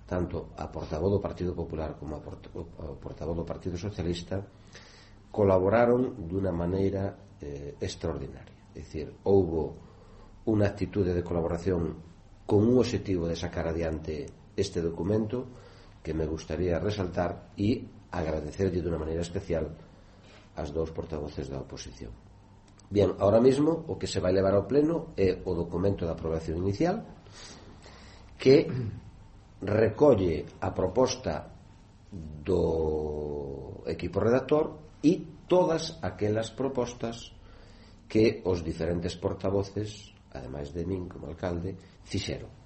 tanto a portavoz do Partido Popular como a portavoz do Partido Socialista colaboraron dunha maneira extraordinaria. É dicir, houbo unha actitude de colaboración con un objetivo de sacar adiante este documento que me gustaría resaltar e agradecerlle dunha maneira especial as dous portavoces da oposición. Bien, ahora mismo o que se vai levar ao pleno é o documento de aprobación inicial, que recolle a proposta do equipo redactor e todas aquelas propostas que os diferentes portavoces, ademais de min como alcalde, fixeron.